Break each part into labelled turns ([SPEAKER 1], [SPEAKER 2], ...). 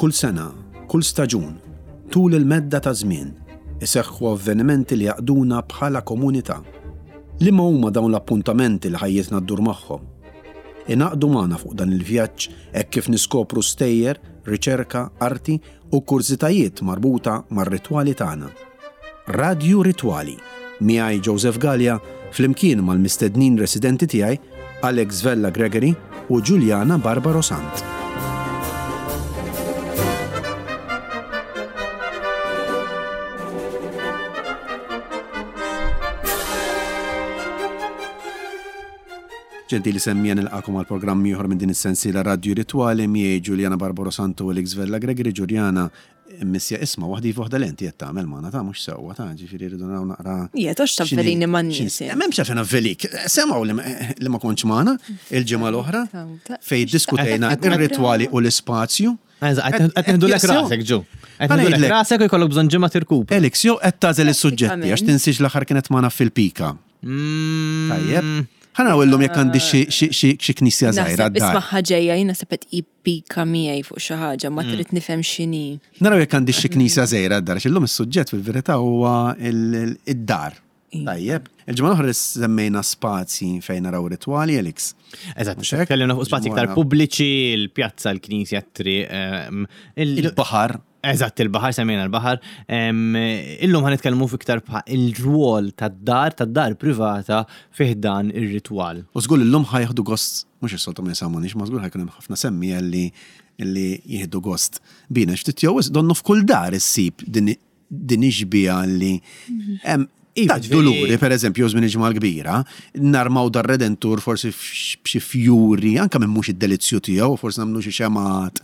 [SPEAKER 1] Kull sena, kull staġun, tul il-medda ta' żmien, iseħħu avvenimenti li jgħaqqduna bħala komunità. Liema huma dawn l-appuntamenti li ħajjitna ddur magħhom? Ingħaqdu magħna fuq dan il-vjaġġ hekk kif niskopru stejjer, riċerka, arti u kurżitajiet marbuta mar-ritwali tagħna. Radju Ritwali, miegħi Joseph Galea flimkien mal-mistednin residenti tiegħi Alex Vella Gregory u Juliana Barbaro Sant. Ġentili semmija nilqakom għal programm ieħor minn din is-sensiela Radju Ritwali miegħi Juliana Barbaro Santo u Alex Vella Gregory. Juliana, Missja isma' waħda iva waħda le inti qed tagħmel magħna ta' mhux sewwa ta' ġifieri rridu naraw naqra.
[SPEAKER 2] Ija tox tavvelini man-nies.
[SPEAKER 1] M'hemmx għalfejn avvelik. Semgħu li ma kontx magħna il-ġimgħa l-oħra fejn diskutejna ir-ritwali u l-ispazju.
[SPEAKER 3] Eżatt, qed neħdulek rasek ġu. Qed neħdulek rasek u jkollok bżonn ġimgħa tirkupra.
[SPEAKER 1] Alex, jew qed tagħżel is-suġġetti għax tinsiex l-aħħar kienet magħna fil-pika. Tajjeb. Ħa naraw illum jekk għandi xi knisja żgħira d-dar.
[SPEAKER 2] Isma' ġejja jiena sebet pika miegħi fuq xi ħaġa ma trid nifhem x'inhi.
[SPEAKER 1] Naraw jekk għandix xi knisja żgħira d-dar, għax illum is-suġġett fil-verità huwa id-dar. Tajjeb. Il-ġimgħa l-oħra semmejna spazji fejn naraw ritwali, Alex.
[SPEAKER 3] Eżatt, tkellimna fuq spazji iktar pubbliċi, il-pjazza, l-knisja, t-triq. Ehm,
[SPEAKER 1] il-baħar.
[SPEAKER 3] Eżatt, il-baħar, semmejna l-baħar. Ehm, illum ħan nitkellmu fiktar il-rwol tad-dar, tad-dar privata fih dan ir-ritwal.
[SPEAKER 1] U żgur illum ħajħdu gost Mhux is-soltu ma jisamgħunix, ma żgur ħa jkun hemm ħafna semmiegħa li li jieħdu gost bina. Ftit jew wisq donnu f'kull dar issib din din ix-xbieha li hemm
[SPEAKER 3] Iva,
[SPEAKER 1] ta' duluri, per eżempju, żmien il-Ġimgħa l-Kbira, narmaw dar-Redentur forsi b'xi fjuri, anke minn mhux id-delizzju tiegħu, forsi nagħmlu xi xemgħat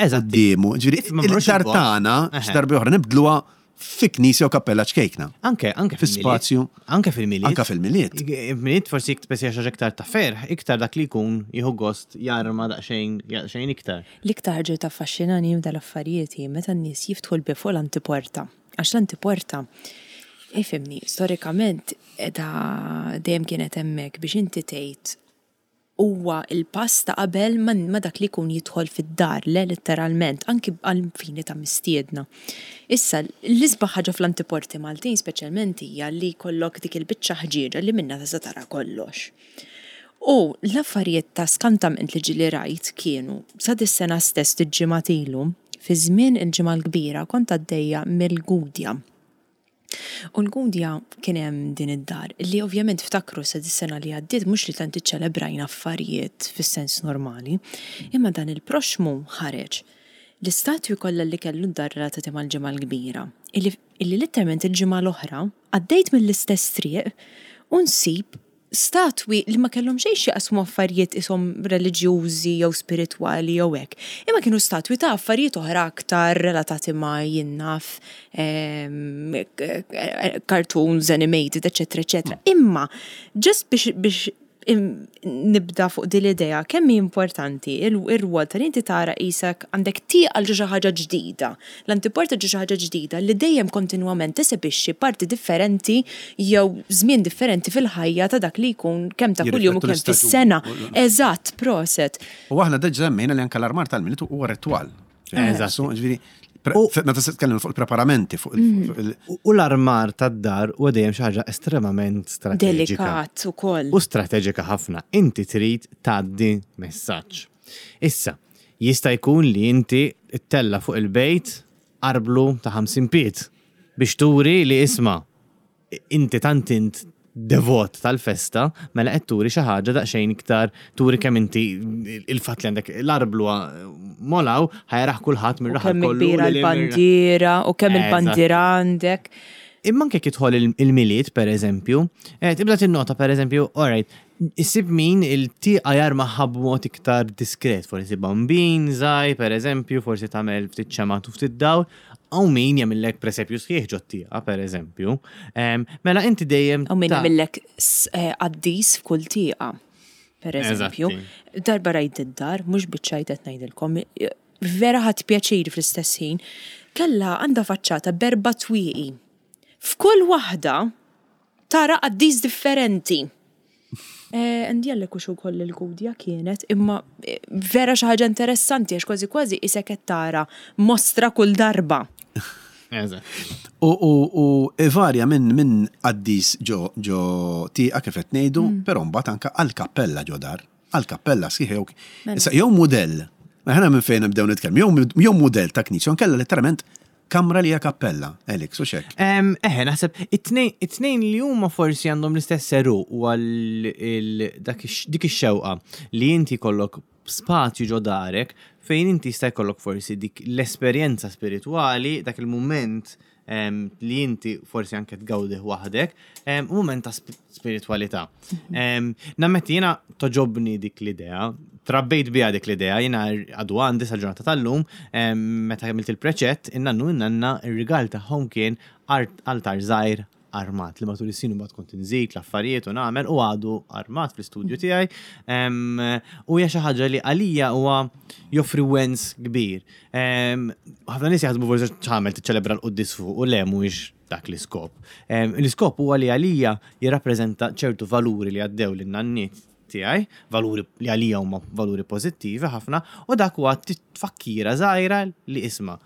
[SPEAKER 3] Eżatt.
[SPEAKER 1] quddiemu. Ġifieri, id-dar tagħna xi darba oħra nibdluha Fi knisja u kappella ċkejkna.
[SPEAKER 3] Anke, anke
[SPEAKER 1] fi spazju.
[SPEAKER 3] Anke fil-Milied.
[SPEAKER 1] Anke fil-Milied.
[SPEAKER 3] Milied forsi jekk tpessi xi iktar ta' ferħ, iktar dak li jkun jieħu gost jarma daqsxejn daqsxejn iktar.
[SPEAKER 2] L-iktar ħaġa li taffaxxinani f'dal-affarijiet hi meta n-nies jiftħu l-bieb fuq l-antiporta. Għax l-antiporta, ifhimni, storikament qiegħda dejjem kienet hemmhekk biex inti tgħid Huwa l-pass ta' qabel ma dak li jkun jidħol fid-dar, le litteralment, anki għall-fini ta' mistiedna. Issa, l-isbaħ ħaġa fl-antiporti Maltin speċjalment hija li jkollok dik il-biċċa ħġieġa li minnha tista' tara kollox. U l-affarijiet ta' skantament li ġieli rajt kienu, sa dis-sena stess ftit ġimgħat ilu, fi żmien il-Ġimgħa l-Kbira kont għaddejja mill-Gudja. U l-Gudja kien hemm din id-dar li ovvjament ftakru sa dis-sena li għaddiet mhux li tant iċċelebrajna affarijiet fis-sens normali, imma dan il-proxxmu ħareġ l-istatwi kollha li kellu d-dar relatati mal-Ġimgħa l-Kbira, illi illi litteralment il-ġimgħa l-oħra għaddejt mill-istess triq u nsib statwi li ma kellhom xejn x'jaqsmu affarijiet ishom reliġjużi jew spiritwali jew hekk, imma kienu statwi ta' affarijiet oħra aktar relatati ma' jien naf cartoons animated, eċċetera, eċċetera. Imma just biex biex nibda fuq din l-idea kemm hi importanti ir-rwol ta' li inti tara qisek għandek tieqa għal xi ħaġa ġdida. L-antiporta ġo xi ħaġa ġdida li dejjem kontinwament tesebixxi parti differenti jew żmien differenti fil-ħajja ta' dak li jkun kemm ta' kuljum u kemm fis-sena. Eżatt, proset.
[SPEAKER 1] U aħna diġà semmejna li anke l-armar tal-Milied huwa ritwal.
[SPEAKER 3] Eżatt.
[SPEAKER 1] Ġifieri, meta se tkellem fuq il-preparamenti, fuq il-
[SPEAKER 3] U l-armar tad-dar huwa dejjem xi ħaġa estremament strateġika.
[SPEAKER 2] Delikat ukoll.
[SPEAKER 3] U strateġika ħafna. Inti trid tgħaddi messaġġ. Issa, jista' jkun li inti ttella' fuq il-bejt arblu ta' 50 pied biex turi li isma' inti tant int devot tal-festa, mela qed turi xi ħaġa daqsxejn iktar turi kemm inti il-fatt li għandek l-arblu molaw ħa jarah kulħadd mir-raħal
[SPEAKER 2] kollu. Kemm kbira l-bandiera u kemm il-bandiera għandek.
[SPEAKER 3] Imma anke jekk jidħol il-Milied pereżempju, eh, tibda tinnota pereżempju, all right, Issib min il-tieqa jarmaha b'mod iktar diskret, forsi bambin żgħir pereżempju, forsi tagħmel ftit xemgħat u ftit dawl, hawn min jagħmillek presepju sħiħ ġot-tieqa pereżempju. Mela inti dejjem.
[SPEAKER 2] Hawn min jagħmillek qaddis f'kull tieqa, pereżempju. Darba rajt id-dar, mhux biċ-ċajt qed ngħidilkom, vera ħadt pjaċir fl-istess ħin, kellha għandha faċċata b'erba' twieqi. F'kull waħda Tara qaddis differenti. Ndjellek hux ukoll il-Gudja kienet, imma vera xi ħaġa interessanti għax kważi kważi isek qed tara mostra kull darba.
[SPEAKER 3] Eżatt.
[SPEAKER 1] U u u ivarja minn minn qaddis ġo ġo tieqa kif qed ngħidu, però mbagħad anke għal kappella ġo dar, għal kappella sħiħa jew issa jew mudell, aħna minn fejn nibdew nitkellmu, jew jew mudell ta' knisja, jew inkella letteralment kamra li hija kappella, Alex, hux hekk?
[SPEAKER 3] Eħe, naħseb it-tnejn li huma forsi għandhom l-istess għeruq huwa dik ix-xewqa li inti jkollok spazju ġo darek fejn inti jista' jkollok forsi dik l-esperjenza spiritwali, dak il-mument li inti forsi anke tgawdih waħdek, mument ta' spiritwalità. Nammetti jiena toġobni dik l-idea, trabbejt biha dik l-idea, jiena għadu għandi sal-ġurnata tal-lum, meta għamilt il-preċett, in-nannu in-nanna ir-rigal tagħhom kien altar żgħir armat li matul is-snin imbagħad kont inżid l-affarijiet u nagħmel u għadu armat fl-istudju tiegħi. U hija xi ħaġa li għalija huwa joffri wens kbir. Ħafna nies jaħsbu forsi x'għamel tiċċelebra l-quddies fuq u le mhuwiex dak l-iskop. L-iskop huwa li għalija jirrappreżenta ċertu valuri li għaddew lin-nanniet tiegħi, valuri li għalija huma valuri pożittivi ħafna, u dak huwa tfakkira żgħira li isma'.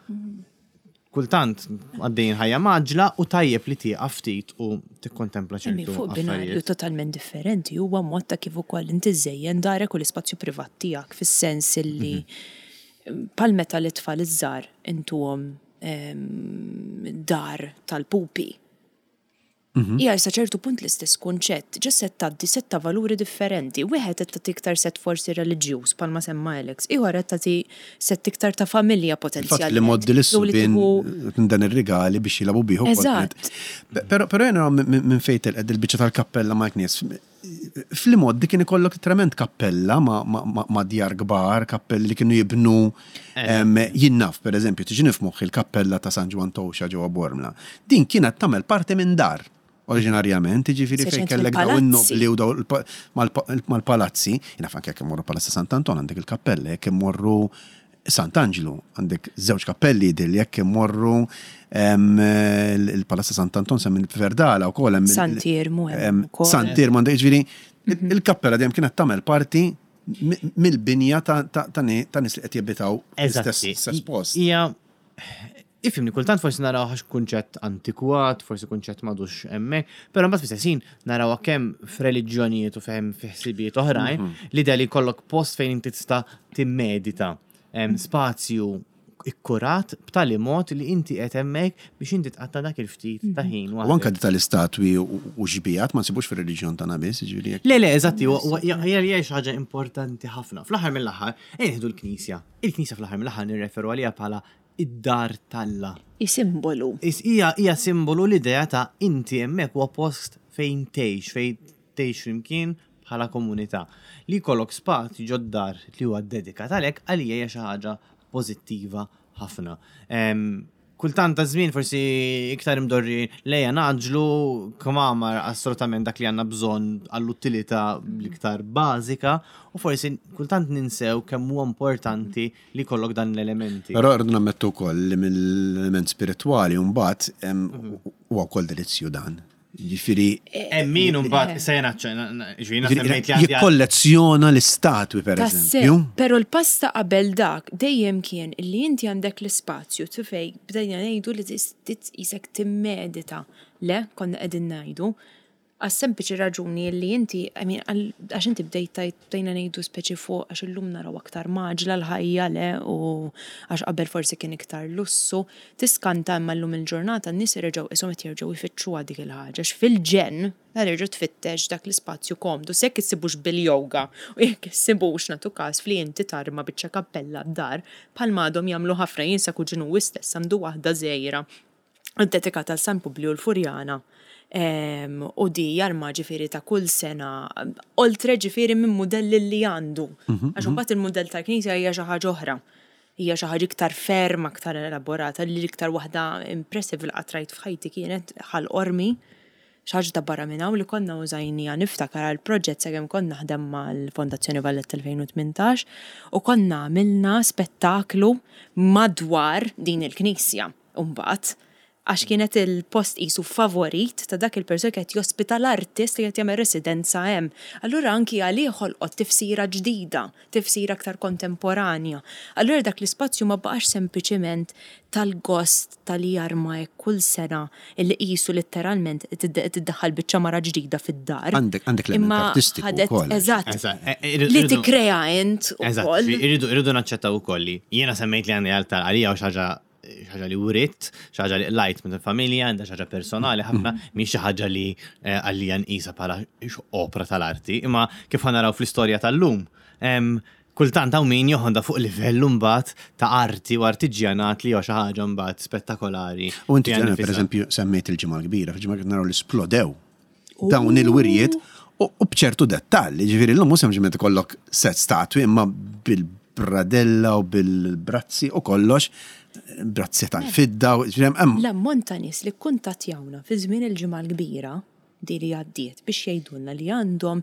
[SPEAKER 3] Kultant għaddejjin ħajja mgħaġġla u tajjeb li tieqaf ftit u tikkontempla ċertu
[SPEAKER 2] Fuq binarju totalment differenti huwa mod ta' kif ukoll inti żżejjen darek u l-ispazju privat tiegħek fis-sens illi bħal meta l-itfal iż-żgħar intuhom dar tal-pupi. Hija sa ċertu punt l-istess kunċett, ġa set tgħaddi sett ta' valuri differenti. Wieħed qed tagħti iktar sett forsi reliġjuż bħalma semma Alex, ieħor qed tagħti sett iktar ta' familja
[SPEAKER 1] potenzjalment. Il-fatt li mgħoddi lis-subien dan ir-rigali biex jilagħbu bih ukoll.
[SPEAKER 2] Eżatt.
[SPEAKER 1] Però però jiena minn fejn telqet dil-biċċa tal-kappella mal-knies. Fl-imgħoddi kien ikollok letteralment kappella ma' djar kbar, kappelli li kienu jibnu jien naf pereżempju tiġini f'moħħi l-kappella ta' San Ġwann Towxa ġewwa Bormla. Din kienet tagħmel parti minn dar oriġinarjament, jiġifieri fejn kellek dawn in-nobbli u dawn mal-palazzi, jien naf anke jekk immorru Palazz ta' Sant'Anton għandek il-kappella, jekk immorru Sant'Anġlu għandek żewġ kappelli jidhirli jekk immorru il-Palazz ta' Sant'Anton semmi Verdala wkoll hemm.
[SPEAKER 2] Sant'Iermu hemm
[SPEAKER 1] ukoll. Sant'Iermu għandek jiġifieri il-kappella dejjem kienet tagħmel parti mill-binja ta' nies li qed jabitaw fl-istess post.
[SPEAKER 3] Hija Ifhimni, kultant forsi narawh għax kunċett antikwat, forsi kunċett m'għadux hemmhekk, però mbagħad fl-istess ħin narawha kemm f'reliġjonijiet u kemm fi ħsibijiet oħrajn, l-idea li jkollok post fejn inti tista' timmedita, spazju ikkurat b'tali mod li inti qed hemmhekk biex inti tqatta' dak il-ftit ta' ħin
[SPEAKER 1] U anke tal-istatwi u xbijat ma nsibux fir-reliġjon tagħna biss, jiġifieri
[SPEAKER 3] jekk. Le, le, eżatti, hija xi ħaġa importanti ħafna. Fl-aħħar mill-aħħar, ejja nieħdu l-Knisja. Il-Knisja fl-aħħar mill-aħħar nirreferu għaliha bħala id-dar t'Alla.
[SPEAKER 2] Hi simbolu.
[SPEAKER 3] Hija hija simbolu l-idea ta' inti hemmhekk huwa post fejn tgħix, fejn tgħix flimkien bħala komunità. Li jkollok spazju ġod-dar li huwa ddedikat għalhekk għalija hija xi ħaġa pożittiva ħafna. Kultant ta' żmien forsi iktar imdorri lejja ngħaġġlu kmamar assolutament dak li għandna bżonn għall-utilità l-iktar bażika u forsi kultant ninsew kemm huwa importanti li jkollok dan l-elementi.
[SPEAKER 1] Però rridu nammettu wkoll li mill-element spiritwali mbagħad huwa wkoll delizzju dan. Jiġifieri.
[SPEAKER 3] Hemm min imbagħad issa jiena ġifieri semmejt li għandi.
[SPEAKER 1] Jikkollezzjona l-istatwi pereżempju.
[SPEAKER 2] Però l-pass ta' qabel dak dejjem kien li inti għandek l-ispazju fejn bdejna ngħidu li qisek timmedita. Le, konna qegħdin ngħidu Għas-sempliċi raġuni li inti, I mean, għax inti bdejt tgħid, bdejna ngħidu speċi fuq għax illum naraw aktar mgħaġġla l-ħajja, le, u għax qabel forsi kien iktar lussu. Tiskanta imma llum il-ġurnata n-nies reġgħu qishom qed jerġgħu jfittxuha dik il-ħaġa għax fil-ġenn terġa' tfittex dak l-ispazju komdu, se jekk issibux bil-yoga u jekk issibux nagħtu każ f'li inti tarma biċċa kappella d-dar bħalma għadhom jagħmlu ħafna jien sa kuġinuwi stess għandu waħda żgħira ddedikata għal San Publiju l-Furjana u di jarma ġifieri ta' kull sena oltre ġifieri minn mudelli li għandu. Għax imbagħad il-mudell tal-knisja hija xi ħaġa oħra. Hija xi ħaġa iktar ferm, aktar elaborata, li l-iktar waħda impressive li qatt rajt f'ħajti kienet Ħal Qormi, xi ħaġa ta' barra minn hawn li konna użajniha niftakar għal proġett sakemm kont naħdem mal-Fondazzjoni Valletta 2018 u konna għamilna spettaklu madwar din il-knisja. Imbagħad. Għax kienet il-post qisu favorit ta' dak il-persuna qed jospita l-artist li qed jagħmel residenza hemm. Allura anki għalih ħolqot tifsira ġdida, tifsira aktar kontemporanja. Allura dak l-ispazju ma baqax sempliċiment tal-gost ta' li jarma hekk kull sena illi qisu litteralment tiddaħħal biċċa mara ġdida fid-dar.
[SPEAKER 1] Għandek għandek l-element artistiku wkoll.
[SPEAKER 2] Eżatt. Eh, li tikkrea int
[SPEAKER 3] ukoll. Irridu naċċettaw ukoll li jiena semmejt li għandi altar għalija u xi ħaġa ħaġa li writ, xi ħaġa li qlajt minn familja, għandha xi ħaġa personali ħafna, mm. mhix xi ħaġa li eh, għalija nqisha bħala opra tal-arti, imma kif naraw fl-istorja tal-lum. Kultant hawn min joħodha fuq livell imbagħad ta' arti u artiġjanat li huwa xi ħaġa mbagħad spettakolari.
[SPEAKER 1] U inti ġena pereżempju semmejt il-ġimgħa l-kbira, fil-ġimgħa kbira naraw li splodew dawn il-wirjiet u b'ċertu dettall, ġifieri llum mhux sempliċement ikollok set statwi imma bil-bradella u bil-brazzi u kollox, brazzi tal-fidda u ġifieri hemm.
[SPEAKER 2] L-ammont ta' nies li kkuntattjawna fi żmien il-Ġimgħa l-Kbira di li għaddiet biex jgħidulna li għandhom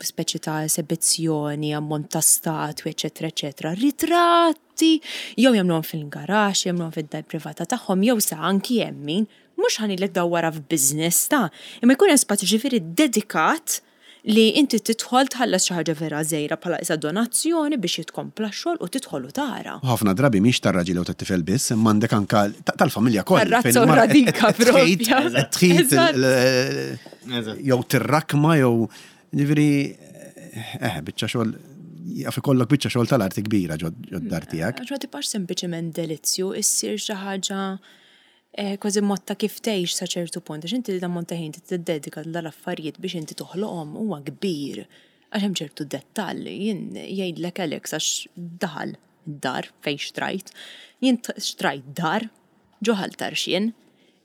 [SPEAKER 2] speċi ta' esebizzjoni, ammont ta' statwi, eċċetera, eċċetera, ritratti, jew jagħmluhom fil-garaxx, jagħmluhom fid-dar privata tagħhom, jew sa anki hemm min, mhux ħa ngħidlek dawwarha f'business ta', imma jkun hemm spazju ġifieri dedikat li inti tidħol tħallas xi ħaġa vera żgħira bħala qisha donazzjoni biex jitkompla x-xogħol u tidħol u tara.
[SPEAKER 1] U ħafna drabi mhix tar-raġel jew tat-tifel biss, imma għandek anke tal-familja kollha.
[SPEAKER 2] Tar-razza u r-radika
[SPEAKER 1] propja. Qed tħit jew tirrakma jew ġifieri eh biċċa xogħol jaf ikollok biċċa xogħol tal-arti kbira ġod-dar tiegħek.
[SPEAKER 2] Għax ma tibqax sempliċement delizzju, issir xi ħaġa Kważi mod ta' kif tgħix sa ċertu punt, għax inti l-ammont ta' ħin tiddedika lil dal-affarijiet biex inti toħloqhom huwa kbir. Għax hemm ċertu dettall, jien jgħidlek Alex għax daħal id-dar fejn xtrajt, jien xtrajt dar ġo Ħal Tarxien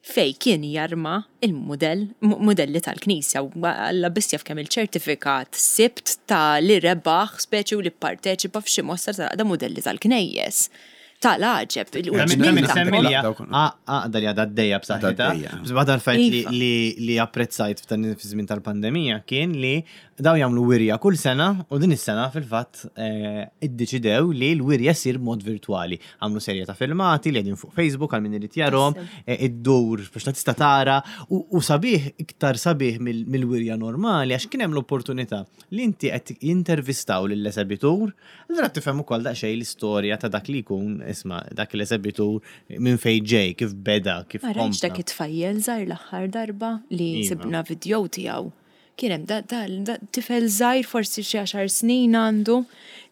[SPEAKER 2] fejn kien jarma il-mudell, mudelli tal-knisja u Alla biss jaf kemm il-ċertifikat sibt ta' li rebaħ speċi u li pparteċipa f'xi mostra tal-għaqda mudelli tal-knejjes. Tal-għaġeb.
[SPEAKER 3] Għaqda li għadha għaddejja b'saħħitha. Waħda l-affarijiet li apprezzajt f'dan iż-żmien tal-pandemija kien li daw jagħmlu wirja kull sena u din is-sena fil-fatt eh, iddeċidew li l-wirja ssir b'mod virtwali. Għamlu serje ta' filmati li qegħdin fuq Facebook għal min irid jarhom, eh, iddur biex ta' tista' tara u sabiħ iktar sabiħ mill-wirja normali għax kien hemm l-opportunità li inti qed jintervistaw lill-esebitur Allura tifhem ukoll daqsxejn l-istorja ta' dak li jkun, isma' dak l-esebitur minn fejn ġej, kif beda, kif
[SPEAKER 2] Ma rajtx dak it-tfajjel żgħir l-aħħar darba li iva. sibna vidjow tiegħu. Kien hemm da, da, da tifel żgħir forsi xi għaxar snin għandu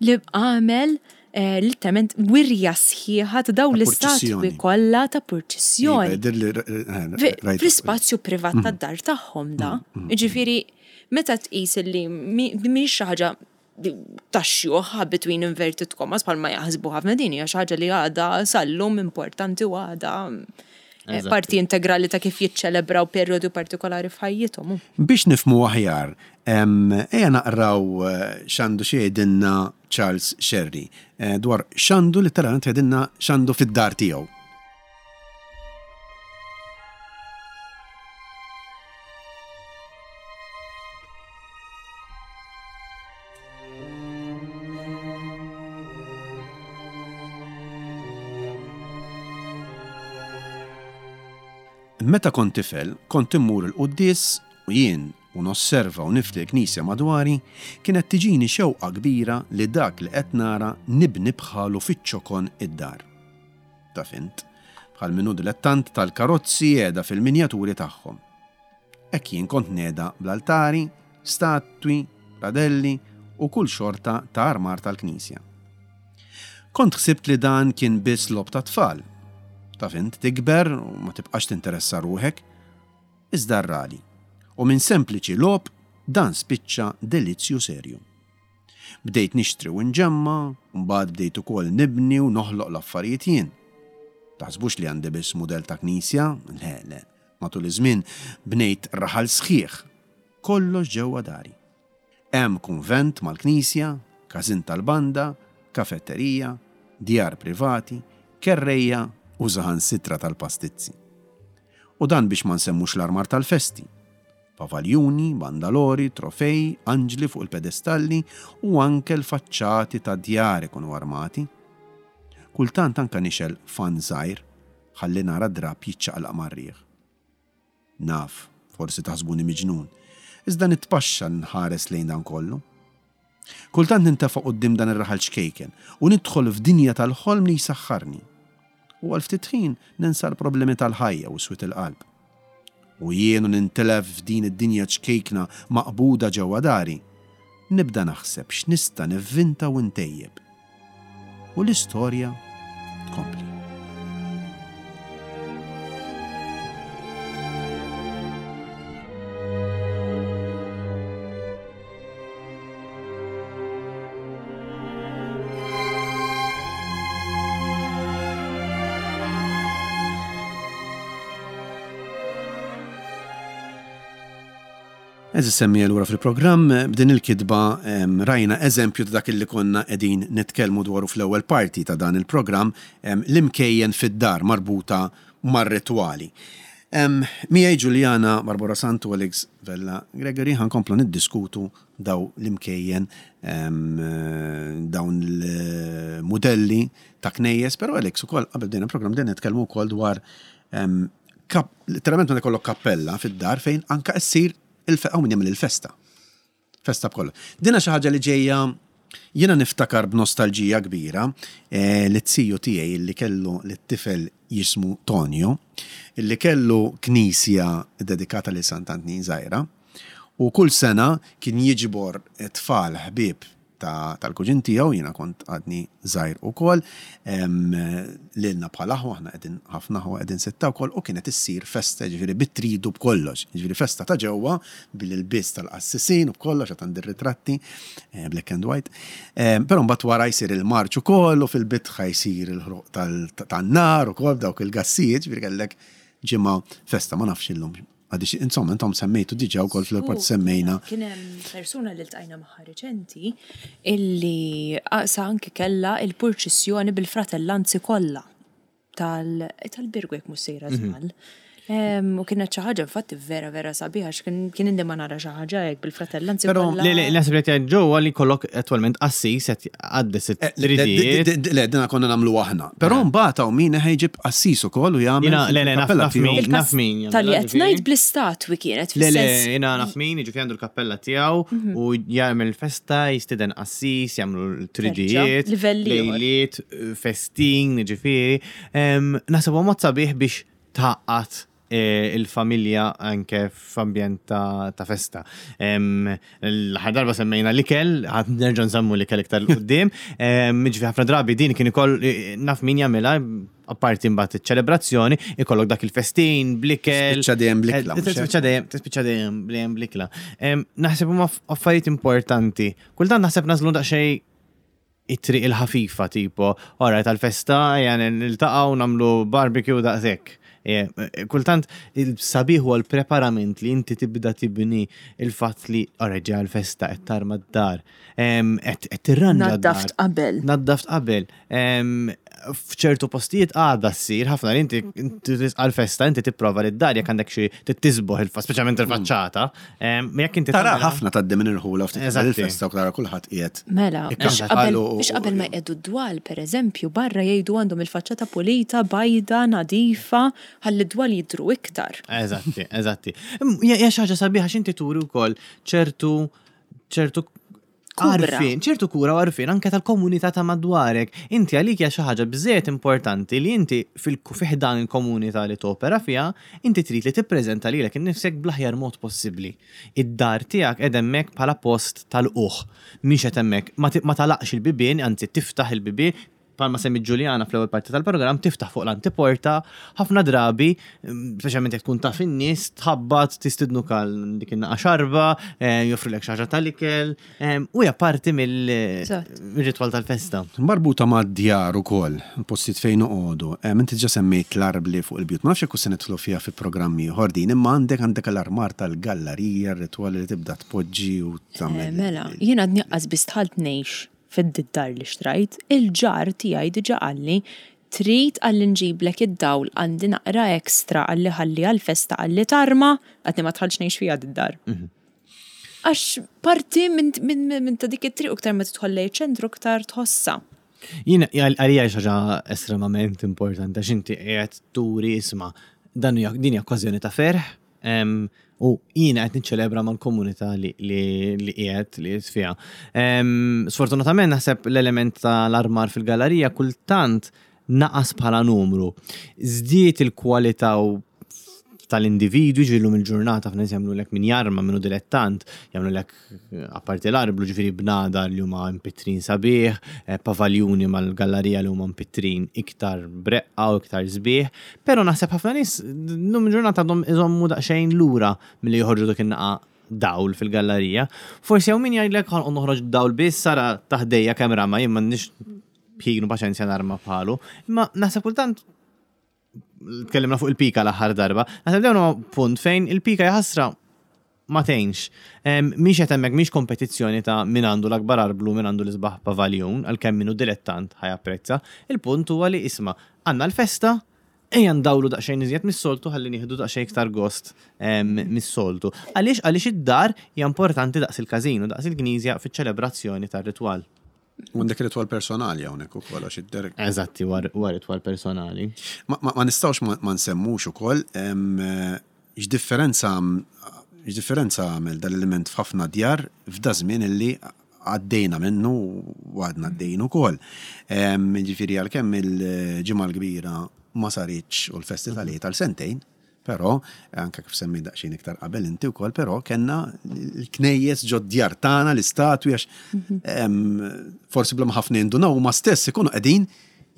[SPEAKER 2] li għamel eh, literalment wirja sħiħa ta' dawn l-istatwi kollha ta' purċissjoni.
[SPEAKER 1] Iva, eh,
[SPEAKER 2] Fl-ispazju privat mm. tad-dar tagħhom da. Mm, mm, Ġifieri meta tqis li mhix xi ħaġa tax-xjuħ between inverted commas bħalma jaħsbu ħafna din hija xi ħaġa li għadha sal-lum importanti u għadha eh, parti integrali ta' kif jiċċelebraw perjodu partikolari f'ħajjithom.
[SPEAKER 1] Biex nifhmu aħjar, ejja naqraw eh, x'għandu xi jgħidilna Charles Scerri eh, dwar x'għandu letteralment jgħidilna x'għandu fid-dar tiegħu. Meta kont tifel, kont immur il-quddies u jien u nosserva u nifli l-knisja madwari, kienet tiġini xewqa kbira li dak li qed nara nibni bħalu fiċ-ċokon id-dar. Taf int, bħal min hu dilettant tal-karozzi jegħda fil-minjaturi tagħhom. Hekk jien kont ngħeda bl-altari, statwi, radelli u kull xorta ta' armar tal-knisja. Kont ħsibt li dan kien biss logħob tat-tfal. Taf int, tikber u ma tibqax tinteressa ruħek. Iżda rrali. U minn sempliċi logħob dan spiċċa delizzju serju. Bdejt nixtri u nġemma', u mbagħad bdejt ukoll nibni u noħloq l-affarijiet jien. Taħsbux li għandi biss mudell ta' knisja, le, le. Matul iż-żmien bnejt raħal sħiħ, kollox ġewwa dari. Hemm kunvent mal-knisja, każin tal-banda, kafetterija, djar privati, kerrejja u saħansitra tal-pastizzi. U dan biex ma nsemmux l-armar tal-festi. Pavaljuni, bandalori, trofej, anġli fuq il-pedestalli u anke l-faċċati tad-djar ikunu armati. Kultant anke nixgħel fann żgħir. ħalli nara d-drapp jiċċaqlaq mar-riħ. Naf, forsi taħsbuni miġnun, iżda nitpaxxa nħares lejn dan kollu. Kultant nintefa' quddiem dan ir-raħal ċkejken u nidħol f'dinja tal-ħolm li jsaħħarni. U għal ftit ħin ninsa l-problemi tal-ħajja u swied il-qalb. U jien u nintilef f'din id-dinja ċkejkna maqbuda ġewwa dari, nibda naħseb x'nista' nivvinta u ntejjeb. U l-istorja tkompli. Eżis semmija lura fil-programm, b'din il-kitba rajna eżempju ta' dak li konna qegħdin nitkellmu dwaru fl-ewwel parti ta' dan il-programm, l-imkejjen fid-dar marbuta mar-ritwali. Miegħi Juliana Barbara Santu Alex Vella Gregory ħankomplu niddiskutu daw l-imkejjen, dawn il-mudelli ta' knejjes, però Alex ukoll qabel bdejna l-programm bdejna nitkellmu wkoll dwar literalment meta jkollok kappella fid-dar fejn anka ssir il-hawn min jagħmel il-festa. Festa b'kollox. Dina xi ħaġa li ġejja jiena niftakar b'nostalġija kbira eh, li t-siju tiegħi li kellu lit-tifel jismu Tonio, li kellu knisja dedikata lil Sant'Antnin żgħira, u kull sena kien jiġbor tfal ħbieb tal-kuġin tiegħu, jiena kont għadni żgħir ukoll, lilna bħal aħwa, aħna qegħdin ħafna aħwa qegħdin sitta wkoll, u kienet issir festa jiġifieri bit-tridu b'kollox, jiġifieri festa ta' ġewwa bil-ilbies tal-qassisin u b'kollox għad għandi r-ritratti black and white. Però mbagħad wara jsir il-marċ ukoll u fil-bitħa jsir il-ħruq tan-nar ukoll b'dawk il-gassijiet, jiġifieri kellek ġimgħa festa, ma nafx illum Għadix, insomma, intom semmejtu diġa wkoll fl-airport semmejna.
[SPEAKER 2] Kien hemm persuna li ltqajna magħha riċenti illi sa anki kellha il-purċissjoni bil-fratellanzi kollha tal-Birgu jekk mhux sejra mhm. żball. U kienet xi ħaġa infatti vera vera sabiħa kien indi ma nara xi ħaġa hekk bil-fratellanzi.
[SPEAKER 3] Però le le naħseb li qed ġewwa li kollok attwalment qassis qed għaddes eh,
[SPEAKER 1] it-tridijiet. Le dina konna nagħmlu aħna. Però eh. mbagħad hawn min ħejġib qassis ukoll u jagħmel.
[SPEAKER 3] Le le naf naf min naf min.
[SPEAKER 2] Tal-li qed ngħid bl-istatwi kienet.
[SPEAKER 3] Le le jiena naf min jiġifieri għandu l-kappella tiegħu mhm. u jagħmel festa jistieden qassis jagħmlu l-tridijiet. Lejliet, festin, jiġifieri. Naħseb huwa mod sabiħ biex tgħaqqad eh, il-familja anke f'ambjent ta' festa. L-aħħar darba semmejna l-ikel, ħadd nerġa' nsemmu l-ikel iktar l-qudiem. Ġifi ħafna drabi din kien ikoll eh, naf min jagħmilha apparti mbagħad iċ-ċelebrazzjoni, ikollok dak il-festin bl-ikel.
[SPEAKER 1] Tispiċċa dejjem bl-ikla.
[SPEAKER 3] Eh, tispiċċa dejjem, tispiċċa dejjem dejjem bl-ikla. Naħseb huma affarijiet importanti. Kultant naħseb nażlu daqsxejn it-triq il-ħafifa tipo, ora tal-festa ejja niltaqgħu nagħmlu barbecue daqshekk. E, e, kultant il-sabiħ huwa l-preparament li inti tibda tibni il-fatt li ora ġeja l-festa qed tarma d-dar, qed tirranġa.
[SPEAKER 2] Naddaft qabel.
[SPEAKER 3] Naddaft qabel. F'ċertu postijiet għadha ssir ħafna li inti għal-festa inti tipprova li d-dar jekk għandek xi tisboħ il speċjalment il-faċċata. Jekk inti
[SPEAKER 1] Tara ħafna tgħaddi minn irħula ftit il-festa u tara kulħadd qiegħed.
[SPEAKER 2] Mela, biex qabel ma jqiegħdu d-dwal, pereżempju, barra jgħidu għandhom il-faċċata pulita, bajda, nadifa, ħalli d-dwal jidhru iktar.
[SPEAKER 3] Eżatti, eżatti. Hija xi ħaġa sabiħa x'inti turi wkoll ċertu ċertu Għarfien, ċertu kura u għarfien anke tal-komunità ta' madwarek. Inti għalik hija xi ħaġa biżżejjed importanti li inti fi ħdan il-komunità li topera fiha, inti trid li tippreżenta lilek innifsek bl-aħjar mod possibbli. Id-dar tiegħek qiegħda hemmhekk bħala post ta' lqugħ. Mhix qed hemmhekk, ma tagħlaqx il-bibien, anzi tiftaħ il-bibien, bħalma semmiet Ġuljana fl-ewwel parti tal-programm, tiftaħ fuq l-antiporta, ħafna drabi, speċjalment jekk tkun taf in-nies, tħabbat, tistidnuk għal dik in-naqa xarba, eh, joffrilek xi ħaġa tal-ikel, eh, u hija parti mill-ritwal tal-festa.
[SPEAKER 1] Marbuta ma' djar ukoll, postijiet fejn noqogħdu. Eh, inti ġa semmejt l-arbli fuq il-bjut. Ma nafx jekk se nidħlu fiha fi programm ieħor din, imma għandek għandek l-armar tal-gallarija, r-ritwali li tibda tpoġġi u tagħmel.
[SPEAKER 2] Mela, jien għadni qas biss dħalt ngħix fid-dar li xtrajt, il-ġar tiegħi diġà qalli, trid qalli nġiblek id-dawl għandi naqra extra qalli ħalli għall-festa qalli tarma, għadni ma dħaltx ngħix fiha did-dar. Għax parti minn ta' dik it-triq u iktar ma tidħol lejn iċ-ċentru iktar tħossha.
[SPEAKER 3] Jien għalija xi ħaġa estremament importanti għax inti qiegħed turi isma' dan hija din hija okkażjoni ta' ferħ u jiena qed niċċelebra mal-komunità li li qiegħed li qiegħed fiha. Sfortunatament naħseb l-element tal-armar fil-gallerija kultant naqas bħala numru. Żdiet il-kwalità u tal-individwi ġifieri llum il-ġurnata ħafna nies jagħmlulek min jarma min hu dilettant, jagħmlulek apparti l-arblu ġifieri bnadar li huma mpittrin sabiħ, eh, pavaljuni mal-gallarija li huma mpittrin iktar breqqa u iktar sbieħ, però naħseb ħafna nies llum il-ġurnata għadhom iżommu daqsxejn lura milli joħorġu dak in-naqa dawl fil-gallarija. Forsi hawn min jgħidlek ħanqod noħroġ dawl biss sara taħdejja kemm rama jien m'għandix ħin u paċenzja narma bħalu. Imma naħseb kultant tkellimna fuq il-pika l-aħħar darba, naħseb dawn huwa punt fejn il-pika jaħasra ma tgħinx. Mhix qed hemmhekk mhix kompetizzjoni ta' min għandu l-akbar arblu, min għandu l-isbaħ pavaljun, għalkemm min hu dilettant ħa japprezza. Il-punt huwa li isma' għandna l-festa, ejja ndawlu daqsxejn iżjed mis-soltu ħalli nieħdu daqsxejn iktar gost mis-soltu. Għaliex għaliex id-dar hija importanti daqs il-każin u daqs il-knisja fiċ-ċelebrazzjoni tar-ritwal.
[SPEAKER 1] U għandek ritwal personali hawnhekk ukoll għax id-der.
[SPEAKER 3] Eżatti, huwa ritwal personali.
[SPEAKER 1] Ma nistgħux ma nsemmux ukoll x'differenza x'differenza għamel dal-element f'ħafna djar f'da żmien illi għaddejna minnu u għadna għaddejjin ukoll. Jiġifieri għalkemm il-Ġimgħa l-Kbira ma saritx u l-festi tal-Għid għal sentejn, Però, anke kif semmejt daqsxejn iktar qabel inti wkoll, però kellna l-knejjes ġod-djar tagħna, l-istatwi għax forsi bla ma ħafna jindunaw huma stess ikunu qegħdin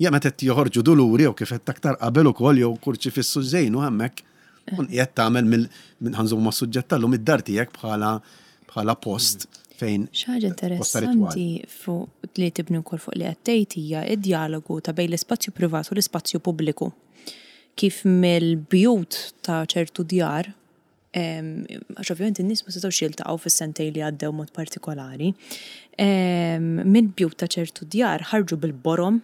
[SPEAKER 1] ja meta qed joħorġu duluri jew kif qed aktar qabel ukoll jew kurċifissu żejnu hemmhekk kun qiegħed tagħmel mill ħanżommu mas-suġġett tal-lum id-dar tiegħek bħala bħala post fejn
[SPEAKER 2] Xi ħaġa interessanti fuq li tibni wkoll fuq li qed tgħid hija d-djalogu ta' bejn l-ispazju privat u l-ispazju pubbliku. Kif mill-bjut ta' ċertu djar, għax ovvjament in-nies ma setgħux jiltaqgħu fis-sentejn li għaddew mod partikolari, mill-bjut ta' ċertu djar ħarġu bil-borom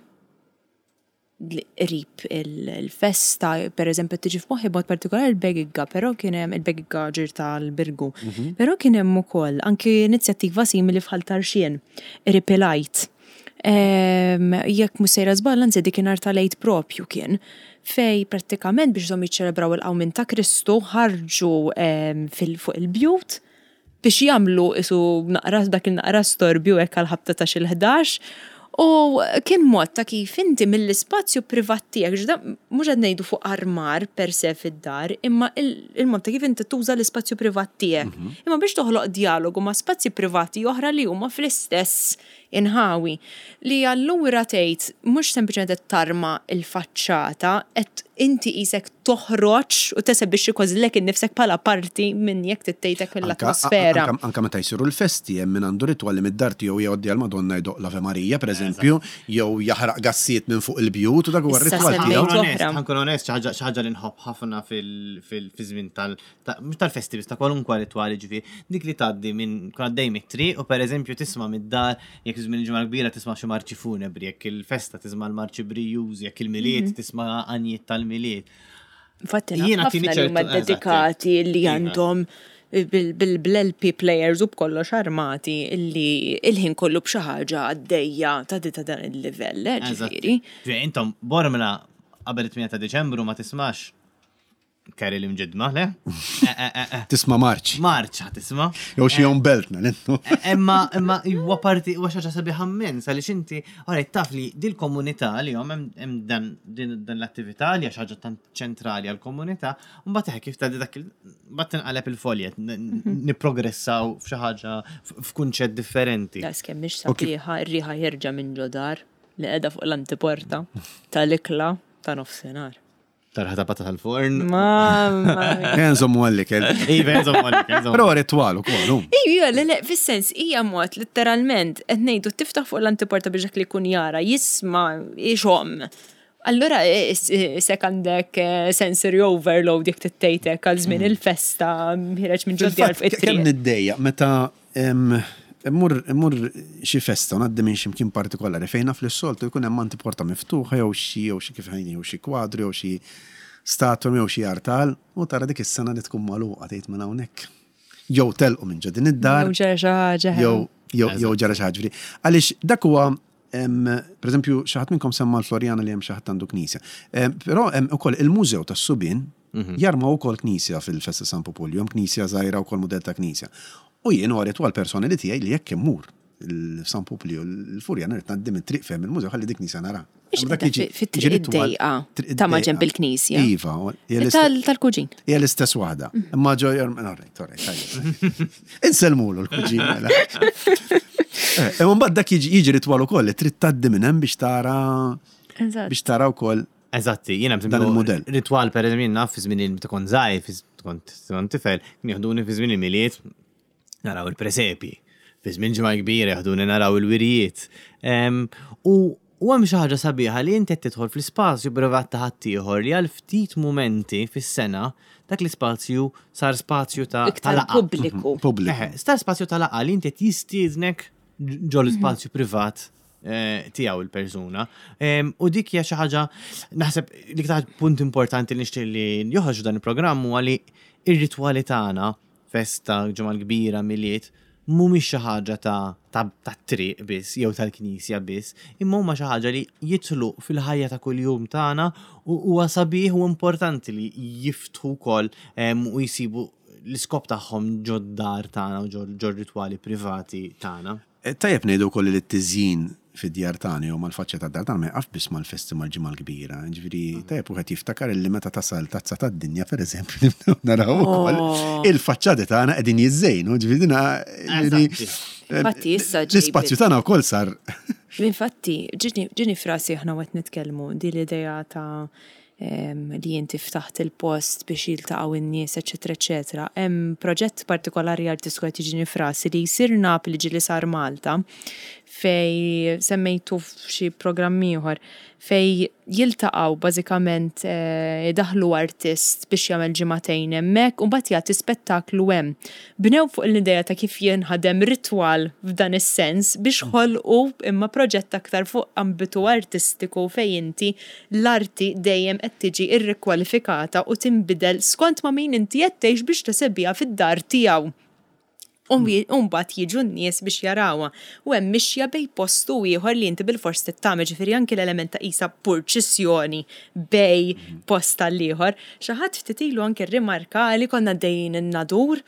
[SPEAKER 2] qrib il-festa, per eżempju tiġi f'moħħi b'mod partikolari l-Begigga, però kien hemm il-Begigga ġir tal-Birgu. Però kien hemm ukoll anki inizjattiva simili f'Ħal Tarxien, qrib il-Għid. Jekk mhux sejra żball, anzi dik inhar tal-Għid propju kien, fej prattikament biex żomm jiċċelebraw il-qawmien ta' Kristu ħarġu fuq il-bjut biex jagħmlu isu naqra dak il-naqra storbju hekk għal ħabta ta' xi l-ħdax. U kien mod ta' kif inti mill-ispazju privat tiegħek, ġda mhux qed ngħidu fuq armar per se fid-dar, imma il-mod ta' kif inti tuża l-ispazju privat tiegħek. Imma biex toħloq dialogu ma' spazji privati oħra li huma fl-istess inħawi. Li allura tgħid mhux sempliċement qed tarma l-faċċata, qed inti qisek toħroġ u tesebixxi kważi lilek innifsek bħala parti minn jekk trid tgħid hekk mill-atmosfera.
[SPEAKER 1] Anke meta jsiru l-festi hemm min għandu ritwal li mid-dar tiegħu jgħoddi għall-Madonna jdoqq l-Ave Marija pereżempju, jew jaħraq gassijiet minn fuq il-bjut u dak huwa r-ritwal tiegħu.
[SPEAKER 3] Ħa nkun onest, xi ħaġa li nħobb ħafna fiż-żmien tal mhux tal-festi biss ta' kwalunkwe ritwal jiġifieri, dik li tgħaddi minn tkun għaddej mit-triq u pereżempju tisma' mid-dar jekk żmien il-Ġimgħa l-Kbira tisma' xi marċi funebri, jekk il-festa tisma' l-marċi brijużi, jekk il-Milied mhm. tisma' għanjiet tal-Milied.
[SPEAKER 2] Infatti jiena ħafna li huma dedikati li iva. għandhom bil-LP players u b'kollox armati illi il-ħin kollu b'xi ħaġa għaddejja ta' ta' dan il-livell, eh, ġifieri.
[SPEAKER 3] Intom Bormla qabel it-8 ta' Diċembru ma tismax Kerry l-imġidma, le?
[SPEAKER 1] Eh, eh, eh, tisma marċ.
[SPEAKER 3] Marċ ħa tisma.
[SPEAKER 1] Jew xi jom beltna,
[SPEAKER 3] l Imma imma huwa parti huwa xi ħaġa sabiħa immens għaliex inti ora taf li dil-komunità li jom hemm dan l-attività li hija xi ħaġa tant ċentrali għall-komunità, u mbagħad kif tgħaddi dak mbagħad tinqaleb il-foljet, mhm. nipprogressaw f'xi ħaġa f'kunċett differenti.
[SPEAKER 2] Daqs kemm mhix sabiħa r-riħa ħierġa minn ġodar li qiegħda fuq l-antiporta tal-ikla ta' nofsinhar.
[SPEAKER 3] Tarħa ta' patata tal-forn.
[SPEAKER 2] Mamma.
[SPEAKER 1] Enżommu għall-ikel.
[SPEAKER 3] Iva, enżommu għall-ikel.
[SPEAKER 1] Però ritwal ukoll.
[SPEAKER 2] Iva, le, le, fis-sens, hija mod letteralment qed ngħidu tiftaħ fuq l-antiporta biex dak li jkun jara, jisma' ixomm. Allura sek għandek eh, sensory overload jekk tittejtek għal żmien mm. il-festa ħireġ minn ġod
[SPEAKER 1] fuq it-triq. Kemm niddejjaq meta Immur immur xi festa u ngħaddi minn xi mkien partikolari fejn naf li s-soltu jkun hemm antiporta miftuħa jew xi jew xi kif ħajni jew xi kwadru jew xi statwa jew xi artal u tara dik is-sena li tkun magħluqa tgħid mela hawnhekk jew telqu minn ġo din id-dar.
[SPEAKER 2] Jew ġara xi ħaġa.
[SPEAKER 1] Jew jew ġara xi ħaġa. Għaliex dak huwa. Per eżempju, xi ħadd minnkom semma l-Floriana li hemm xi ħadd għandu knisja. Però hemm ukoll il-Mużew tas-Subien jarmaw ukoll knisja fil-Festa San Pupulju, hemm knisja żgħira wkoll mudell ta' knisja. U jien huwa ritwal personali tiegħi li jekk immur l-San Puplju l-Furjana rrid ngħaddi mit-triq fejn il-mużew ħalli dik knisja nara.
[SPEAKER 2] Dak jiġi fit-triq id-dejqa ta' maġenb il-knisja.
[SPEAKER 1] Iva.
[SPEAKER 2] Tal-kuġin.
[SPEAKER 1] Hija l-istess waħda. Imma ġo alright, alright. Insellmulu l-kuġin. Mela. Eh, imma mbagħad dak jiġi ritwal ukoll li trid tgħaddi minn hemm biex tara biex tara wkoll
[SPEAKER 3] Eżatti, jiena
[SPEAKER 1] dan il-mudell.
[SPEAKER 3] Ritwal per eżempju naf fi żmien meta kont żgħir, kont tifel, kien jieħduni fi żmien il-Milied naraw il-presepi. Fi żmien Ġimgħa Kbira jeħduni naraw il-wirjiet. U u hemm xi ħaġa sabiħa li inti qed tidħol fl-ispazju privat ta' ħaddieħor li għal ftit mumenti fis-sena dak l-ispazju sar spazju ta'
[SPEAKER 2] Iktar laqgħa. pubbliku.
[SPEAKER 1] Pubbliku.
[SPEAKER 3] Sar spazju ta' laqgħa li inti qed jistiednek ġol ispazju privat eh, tiegħu il-persuna. U dik hija xi ħaġa naħseb li iktar punt importanti li nixtieq li joħroġ dan il-programm huwa li ir-ritwali tagħna festa, Ġimgħa l-Kbira, Milied, mhumiex xi ħaġa ta' tat-triq biss jew tal-knisja biss, imma huma xi ħaġa li jidħlu fil-ħajja ta' kuljum tagħna u huwa sabiħ u importanti li jiftħu wkoll u jsibu l-iskop tagħhom ġod-dar tagħna u ġor-ritwali privati tagħna.
[SPEAKER 1] Tajjeb ngħidu wkoll li t-tiżjin fid-djar tagħna jew mal-faċċja tad-dar tagħna ma jaqafx biss mal-festi mal-Ġimgħa l-Kbira. Jiġifieri tajjeb wieħed jiftakar illi meta tasal Tazza tad-Dinja pereżempju nibdew naraw ukoll il-faċċati tagħna qegħdin jiżżejnu, jiġifieri dina
[SPEAKER 2] Infatti issa
[SPEAKER 1] L-ispazju tagħna wkoll sar.
[SPEAKER 2] Infatti, ġieni f'rasi aħna waqt nitkellmu din l-idea ta' li inti ftaħt il-post biex jiltaqgħu n-nies, eċċetera, eċċetera. Hemm proġett partikolari artistiku qed jiġini f'rasi li jsir Napli ġieli sar Malta fej semmejtu f'xi programm ieħor fej jiltaqgħu bażikament eh, idaħħlu artist biex jagħmel ġimagħtejn hemmhekk u mbagħad jagħti spettaklu hemm. Bnew fuq l-idea ta' kif jinħadem ritwal f'dan is-sens biex ħolqu imma proġett aktar fuq ambitu artistiku fejn inti L-arti dejjem qed tiġi rrikwalifikata u tinbidel skont ma' min inti qed tgħix biex tesebiha fid-dar tiegħu. U mbagħad jiġu n-nies biex jarawha. U hemm mixja bejn post u ieħor li inti bilfors trid tagħmel, ġifieri anki l-element ta' qisha purċissjoni bejn post għal ieħor. Xi ħadd ftit ilu anki rrimarkali konna għaddejjin in-Nadur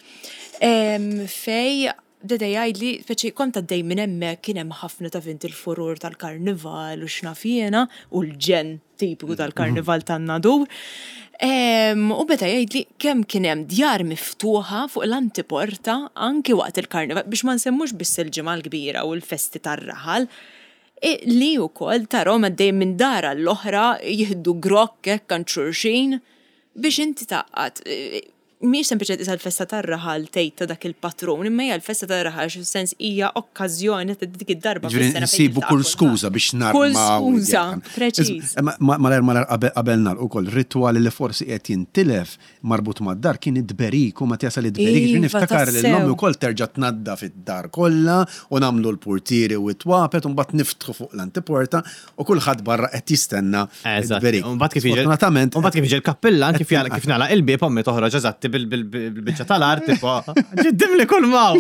[SPEAKER 2] fejn Beda jgħidli, speċi kont għaddej minn hemmhekk kien hemm ħafna taf int il-furur tal-karnival u x'naf jiena u l-ġenn tipiku tal-karnival tan-Nadur. U beda jgħidli kemm kien hemm djar miftuħa fuq l-antiporta anki waqt il-karnival biex ma nsemmux biss il-Ġimgħa l-Kbira u l-festi tar-raħal, li wkoll tarahom għaddejjin minn dar għall-oħra jieħdu grokk hekk għand xulxin biex inti tgħaqqad. Mhijiex sempliċement qisha l-festa tar-raħal tgħid ta' dak il-patrun, imma hija l-festa tar-raħal għax fis-sens hija okkażjoni ta' dik id-darba
[SPEAKER 1] fis-sena fejn Nsibu kull skuża biex narmaw.
[SPEAKER 2] Kull skuża, preċiż.
[SPEAKER 1] Malajr malajr qabel nagħlqu ukoll ritwal li forsi qiegħed jintilef marbut mad-dar kien it-tberik u meta jasal it-tberik, ġifieri niftakar lil ommi wkoll terġa' tnaddaf id-dar kollha u nagħmlu l-purtieri u t-twapet u mbagħad niftħu fuq l-antiporta U kulħadd barra qed jistenna
[SPEAKER 3] d-berik. Sfortunatament. U mbagħad kif jiġi l-kappillan kif kif nagħlaq il-bieb ommi toħroġ eżatti bil-biċċa tal-art tipo ġiddim li kull maw.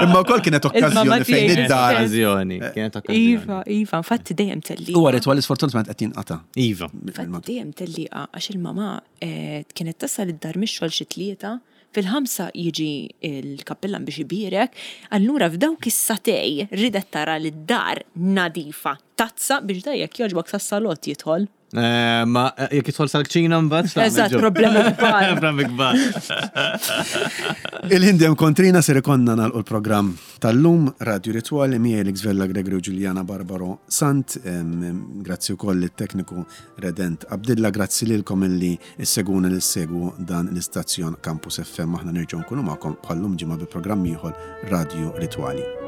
[SPEAKER 1] Imma wkoll kienet okkażjoni fejn id-dar.
[SPEAKER 3] Okkażjoni, kienet okkażjoni.
[SPEAKER 2] Iva, iva, infatti dejjem tellieqa.
[SPEAKER 1] Huwa ritwal li sfortunatament qed jinqata'.
[SPEAKER 3] Iva.
[SPEAKER 2] Infatti dejjem tellieqa għax il-mama eh, kienet tasal id-dar mix-xogħol xi tlieta Fil-ħamsa jiġi l-kappillan biex ibierek, allura f'dawk is-sagħtej ridet tara li d-dar nadifa, tazza biex da jekk jogħġbok sas-salott jidħol.
[SPEAKER 3] Eh, ma eh, jekk jidħol sal-kċina mbagħad.
[SPEAKER 2] Eżatt, problemi
[SPEAKER 3] kbar. Problemi kbar.
[SPEAKER 1] Il-ħin dejjem kontrina ser ikonna nagħlqu l-programm tal-lum Radio Ritwali miegħi Alex Vella Gregory u Giuliana Barbaro Sant. Grazzi wkoll lit-tekniku Redent Abdilla, grazzi lilkom illi Issegwuna li ssegwu dan l-istazzjon Campus FM. Aħna nerġgħu nkunu magħkom bħal-lum ġimgħa bi programm ieħor Radju Ritwali.